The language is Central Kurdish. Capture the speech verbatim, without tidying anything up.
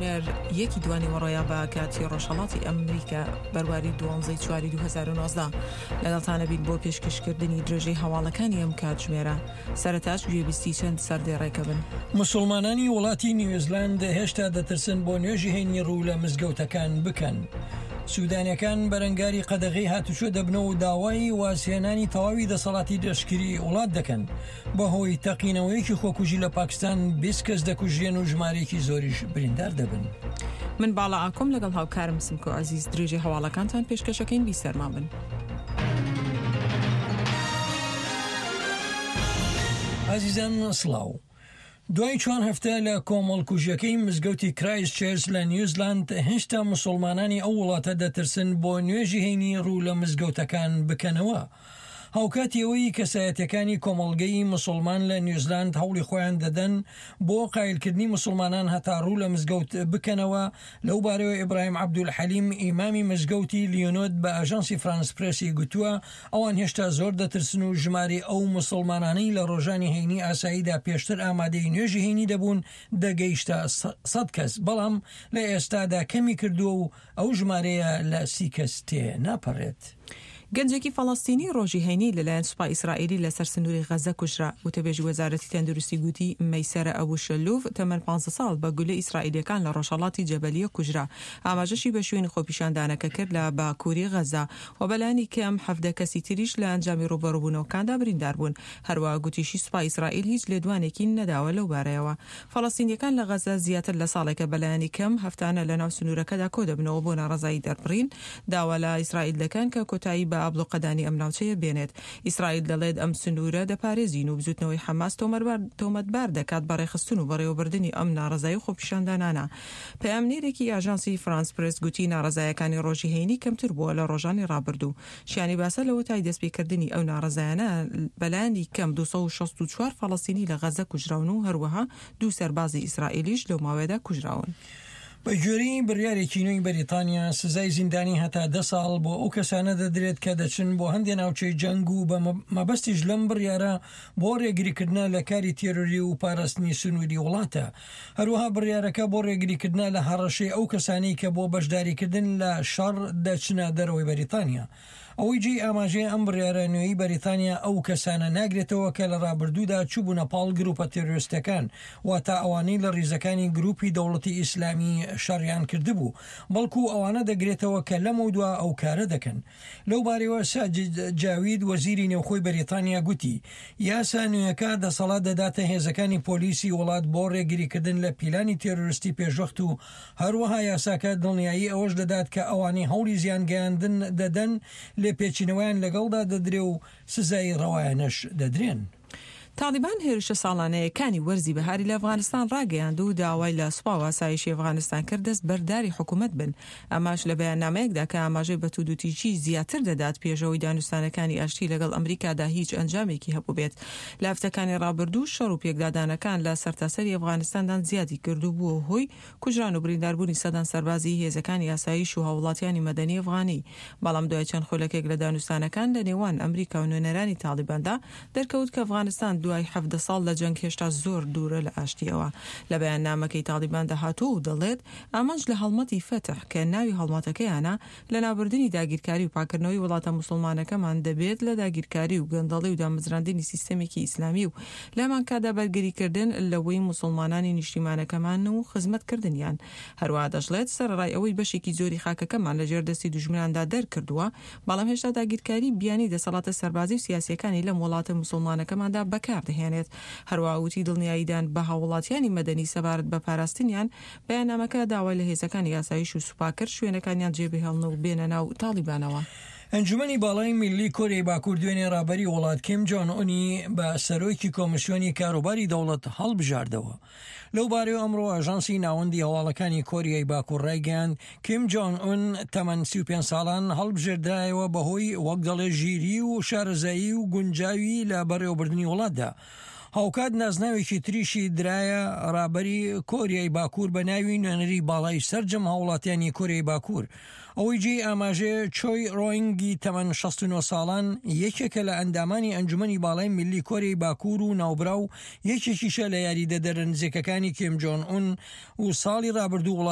کاتژمێر یەکی دوانیوەڕۆیە بە کاتی ڕۆژهەڵاتی ئەمریکا بەرواری دوانزەی چواری دوو هەزار و نۆزدە. لەگەڵتانە بین بۆ پێشکەشکردنی درێژەی هەواڵەکانی ئەم کاتژمێرە. سەرەتاش گوێبیستی چەند سەردێڕێکە بن. موسڵمانانی وڵاتی نیوزلاند هێشتا دەترسن بۆ نوێژی هەینی ڕوو لە مزگەوتەکان بکەن. سودانیەکان بەرەنگاری قەدەغەی هاتوچۆ دەبنەوە و داوای وازهێنانی تەواوی دەسەڵاتی لەشکری وڵات دەکەن. بەهۆی تەقینەوەیەکی خۆکوژی لە پاکستان بیست کەس دەکوژرێن و ژمارەیەکی زۆریش بریندار دەبن. من باڵا ئاکۆم لەگەڵ هاوکارم سمکۆ عەزیز درێژەی هەواڵەکانتان پێشکەشەکەین، بیسەرمان بن. ئازیزان سڵاو. دوای چوار هەفتە لە کۆمەڵکوژیەکەی مزگەوتی کرایست چێرچ لە نیوزلاند، هێشتا مسوڵمانانی ئەو وڵاتە دەترسن بۆ نوێژی هەینی ڕوو لە مزگەوتەکان بکەنەوە. هاوکاتی ئەوەی کەسایەتیەکانی کۆمەڵگەی مسوڵمان لە نیوزلاند هەوڵی خۆیان دەدەن بۆ قایلکردنی مسوڵمانان هەتا ڕوو لە مزگەوت بکەنەوە، لەو بارەیەوە ئیبراهیم عەبدولحەلیم ئیمامی مزگەوتی لیۆنۆد بە ئاژانسی فرانس پرێسی گوتووە ئەوان هێشتا زۆر دەترسن و ژمارەی ئەو مسوڵمانانەی لە ڕۆژانی هەینی ئاساییدا پێشتر ئامادەی نوێژی هەینی دەبوون دەگەیشتە سەد کەس، بەڵام لە ئێستادا کەمی کردووە و ئەو ژمارەیە لە سی کەس تێ ناپەڕێت. گەنجێکی فەڵەستینی ڕۆژی هەینی لەلایەن سوپای ئیسرائیلی لەسەر سنووری غەزە کوژرا. وتەبێژی وەزارەتی تەندروستی گوتی مەیسەرە ئەبو شەلوف تەمەن پانزە ساڵ بە گولەی ئیسرائیلییەکان لە ڕۆژهەڵاتی جەبەلیە کوژرا. ئاماژەشی بە شوێنی خۆپیشاندانەکە کرد لە باکووری غەزە و بەلایەنی کەم حەڤدە کەسی تریش لە ئەنجامی ڕووبەڕووبوونەوەکاندا بریندار بوون. هەروەها گوتیشی سوپای ئیسرائیل هیچ لێدوانێکی نەداوە لەو بارەیەوە. فەڵەستینییەکان لە غەزە زیاتر لە ساڵێکە بەلایەنی کەم هەفتانە لەناو سنوورەکەدا کۆدەبنەوە بۆ ناڕەزایی دەربڕین، داوا لە ئیسرائیل دەکەن کە کۆتایی بە ئابڵوقەدانی ئەم ناوچەیە بێنێت. ئیسرائیل دەڵێت ئەم سنوورە دەپارێزین و بزوتنەوەی حەماس تۆمەتبار دەکات بە ڕێکخستن و بەڕێوەبردنی ئەم ناڕەزایی و خۆپیشاندانانە. پەیامنێرێکی ئاژانسی فرانس پرێس گوتی ناڕەزایەکانی ڕۆژی هەینی کەمتر بووە لە ڕۆژانی ڕابردوو. شیانی باسە لەوەتای دەستپێکردنی ئەو ناڕەزایانە بەلایەنی کەم دوو سەد و شەست و چوار فەڵەستینی لە غەزە کوژراون و هەروەها دوو سەربازی ئیسرائیلیش لەو ماوەیەدا کوژراون. بە گوێرەی بڕیارێکی نوێی بەریتانیا، سزای زیندانی هەتا دە ساڵ بۆ ئەو کەسانە دەدرێت کە دەچن بۆ هەندێ ناوچەی جەنگ و بە مەبەستیش لەم بڕیارە بۆ ڕێگریکردنە لە کاری تێرۆری و پاراستنی سنووری وڵاتە. هەروەها بڕیارەکە بۆ ڕێگریکردنە لە هەڕەشەی ئەو کەسانەی کە بۆ بەشداریکردن لە شەڕ دەچنە دەرەوەی بەریتانیا. ئەوەی جێی ئاماژەیە ئەم بڕیارە نوێی بەریتانیا ئەو کەسانە ناگرێتەوە کە لە ڕابردوودا چووبوونە پاڵ گروپە تێرۆریستەکان، واتە ئەوانەی لە ڕیزەکانی گروپی دەوڵەتی ئیسلامی شەڕیان کردبوو، بەڵکو ئەوانە دەگرێتەوە کە لەمەودوا ئەو کارە دەکەن. لەو بارەیەوە ساجد جاوید وەزیری نێوخۆی بەریتانیا گوتی، یاسا نوێیەکە دەسەڵات دەداتە هێزەکانی پۆلیسی وڵات بۆ ڕێگریکردن لە پیلانی تێرۆریستی پێشوەخت و هەروەها یاساکە دڵنیایی ئەوەش دەدات کە ئەوانەی هەوڵی زیانگەیاندن دەدەن لێپێچینەوەیان لەگەڵدا دەدرێ و سزای ڕەوایانەش دەدرێن. تاڵیبان هێرشە ساڵانەیەکانی وەرزی بەهاری لە ئەفغانستان ڕاگەیاند و داوای لە سوپا و ئاسایشی ئەفغانستان کرد دەست بەرداری حکومەت بن. ئەمەش لە بەیاننامەیەکدا کە ئاماژەی بە توندوتیژی زیاتر دەدات پێش ئەوەی دانوستانەکانی ئاشتی لەگەڵ ئەمریکادا هیچ ئەنجامێکی هەبووبێت. لە هەفتەکانی ڕابردوو شەڕ و پێکدادانەکان لە سەرتاسەری ئەفغانستاندان زیادی کرد و بووە هۆی کوژران و برینداربوونی سەدان سەربازی هێزەکانی ئاسایش و هاووڵاتیانی مەدەنی ئەفغانی. بەڵام دوای چەند خولەکێک لە دانوستانەکان لە نێوان ئەمریکا و نوێنەرانی تاڵیباندا دەرکەوت کە ئەفغانستان دوای حەڤدە ساڵ لە جەنگ هێشتا زۆر دوورە لە ئاشتییەوە. لە بەیاننامەکەی تاڵیباندا هاتووە و دەڵێت، ئامانج لە هەڵمەتی فەتح کە ناوی هەڵمەتەکەیانە، لەناوبردنی داگیرکاری و پاکردنەوەی وڵاتە موسڵمانەکەمان دەبێت لە داگیرکاری و گەندەڵی و دامەزراندنی سیستەمێکی ئیسلامی و لەهەمانکاتدا بەرگریکردن لەوەی موسڵمانانی نیشتیمانەکەمان و خزمەتکردنیان. هەروەها دەشڵێت، سەرەڕای ئەوەی بەشێکی زۆری خاکەکەمان لەژێر دەستی دوژمناندا دەرکردووە، بەڵام هێشتا داگیرکاری بیانی دەسەڵاتە سەربازی و سیاسییەکانی لەم وڵاتە موسڵمانەکەماندا بەکاردەهێنێت. هەروەها وتی دڵنیاییدان بە هاووڵاتیانی مەدەنی سەبارەت بە پاراستنیان، بەیاننامەکە داوای لە هێزەکانی ئاسایش و سوپا کرد شوێنەکانیان جێبهێڵن و بێنە ناو تاڵیبانەوە. ئەنجومەنی باڵای میللی کۆریای باکوور دوێنێ ڕابەری وڵات کیم جۆن ئونی بە سەرۆکی کۆمیسیۆنی کاروباری دەوڵەت هەڵبژاردەوە. لەو بارەیەوە ئەمڕۆ ئاژانسی ناوەندی هەواڵەکانی کۆریای باکوور ڕایگەیاند کیم جۆن ئون تەمەن سی و پێنج ساڵان هەڵبژێردرایەوە بەهۆی وەک دەڵێ ژیری و شارەزایی و گونجاوی لە بەڕێوەبردنی وڵاتدا. هاوکات نازناوێکی تریشی درایە ڕابەری کۆریای باکوور بە ناوی نوێنەری باڵای سەرجەم هاوڵاتیانی کۆریای باکوور. ئەوەی جێی ئاماژەیە چۆی ڕۆینگی تەمەن شەست و نۆ ساڵان یەکێکە لە ئەندامانی ئەنجومەنی باڵای میللی کۆریای باکوور و ناوبراو یەکێکیشە لە یاریدەدەرە نزیکەکانی کیم جۆن ئون و ساڵی ڕابردوو وڵات